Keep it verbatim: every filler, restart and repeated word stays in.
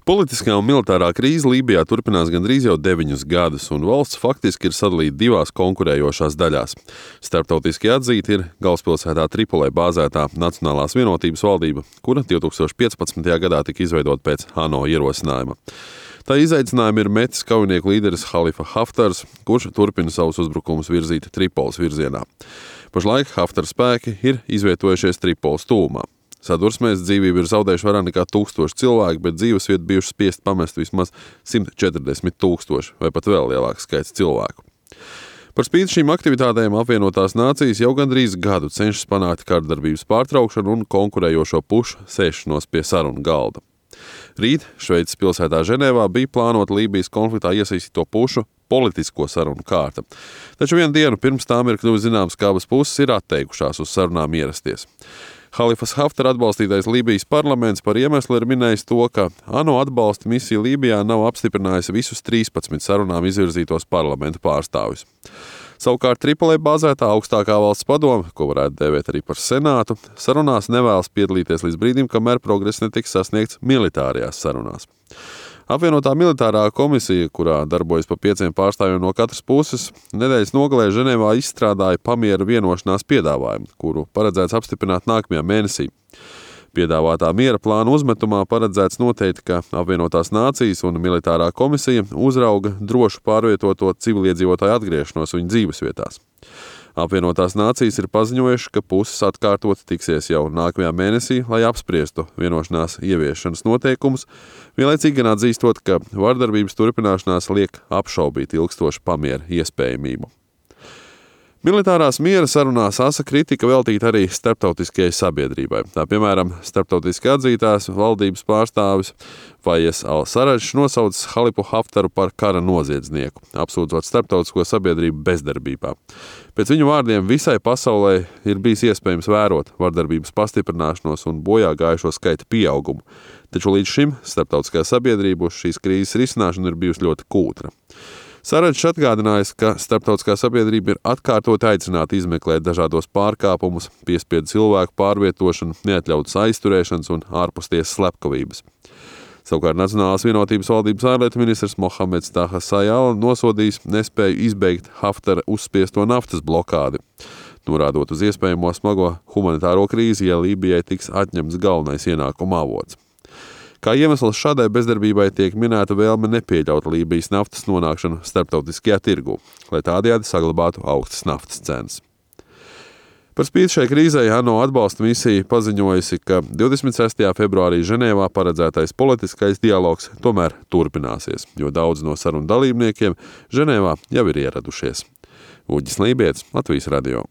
Politiskā un militārā krīze Lībijā turpinās gandrīz jau deviņus gadus, un valsts faktiski ir sadalīta divās konkurējošās daļās. Starptautiski atzīta ir galvaspilsētā Tripolē bāzētā Nacionālās vienotības valdība, kura divtūkstoš piecpadsmitajā gadā tika izveidota pēc ANO ierosinājuma. Tā izaicinājumu ir metis kaujinieku līderis Halifa Haftars, kurš turpina savus uzbrukumus virzīt Tripoles virzienā. Pašlaik Haftara spēki ir izvietojušies Tripoles tuvumā. Sadursmēs dzīvību ir zaudējuši vairāk nekā tūkstoši cilvēku, bet dzīvesvietu bijuši spiest pamest vismaz simt četrdesmit tūkstoši vai pat vēl lielāks skaits cilvēku. Par spīti šīm aktivitātēm apvienotās nācijas jau gandrīz gadu cenšas panākt kārdarbības pārtraukšanu un konkurējošo pušu sēšanos pie sarunu galda. Rīt Šveices pilsētā Ženēvā bija plānota Lībijas konfliktā iesaistīto pušu politisko sarunu kārta. Taču vienu dienu pirms tām ir kļuvis zināms, ka abas puses ir atteikušās uz sarunām ierasties. Halifas Haftara atbalstītais Lībijas parlaments par iemeslu ir minējis to, ka ANO atbalsta misija Lībijā nav apstiprinājusi visus trīspadsmit sarunām izvirzītos parlamentu pārstāvjus. Savukārt Tripolē bāzētā augstākā valsts padome, ko varētu dēvēt arī par senātu, sarunās nevēlas piedalīties līdz brīdim, kamēr progress netiks sasniegts militārajās sarunās. Apvienotā militārā komisija, kurā darbojas pa pieciem pārstāvjiem no katras puses, nedēļas nogalē Ženēvā izstrādāja pamiera vienošanās piedāvājumu, kuru paredzēts apstiprināt nākamajā mēnesī. Piedāvātā miera plāna uzmetumā paredzēts noteikt, ka apvienotās nācijas un militārā komisija uzrauga drošu pārvietoto civiliedzīvotāju atgriešanos viņu dzīvesvietās. Apvienotās nācijas ir paziņojuši, ka puses atkārtot tiksies jau nākamajā mēnesī, lai apspriestu vienošanās ieviešanas noteikumus, vienlaicīgi gan atzīstot, ka vardarbības turpināšanās liek apšaubīt ilgstošu pamiera iespējamību. Militārās miera sarunās asa kritika veltīta arī starptautiskajai sabiedrībai. Tā piemēram, starptautiski atzītās valdības pārstāvis Faiez al-Sarraģs nosaucis Halifu Haftaru par kara noziedznieku, apsūdzot starptautisko sabiedrību bezdarbībā. Pēc viņu vārdiem visai pasaulē ir bijis iespējams vērot vardarbības pastiprināšanos un bojā gājušo skaita pieaugumu, taču līdz šim starptautiskā sabiedrība uz šīs krīzes risināšanu ir bijusi ļoti kūtra. Sarraģs atgādinājis, ka starptautiskā sabiedrība ir atkārtot aicināta izmeklēt dažādos pārkāpumus, piespiedu cilvēku pārvietošanu, neatļautas aizturēšanas un ārpustiesas slepkavības. Savukārt Nacionālās vienotības valdības ārlietu ministrs Mohameds Taha Sajala nosodījis nespēju izbeigt Haftara uzspiesto naftas blokādi, norādot uz iespējamo smago humanitāro krīzi, ja Lībijai tiks atņemts galvenais ienākuma avots. Kā iemesls šādai bezdarbībai tiek minēta vēlme nepieļaut Lībijas naftas nonākšanu starptautiskajā tirgū, lai tādējādi saglabātu augstas naftas cenas. Par spīti šai krīzei ANO atbalsta misija paziņojusi, ka divdesmit sestajā februārī Ženēvā paredzētais politiskais dialogs tomēr turpināsies, jo daudz no sarunu dalībniekiem Ženēvā jau ir ieradušies. Uģis Lībietis, Latvijas radio.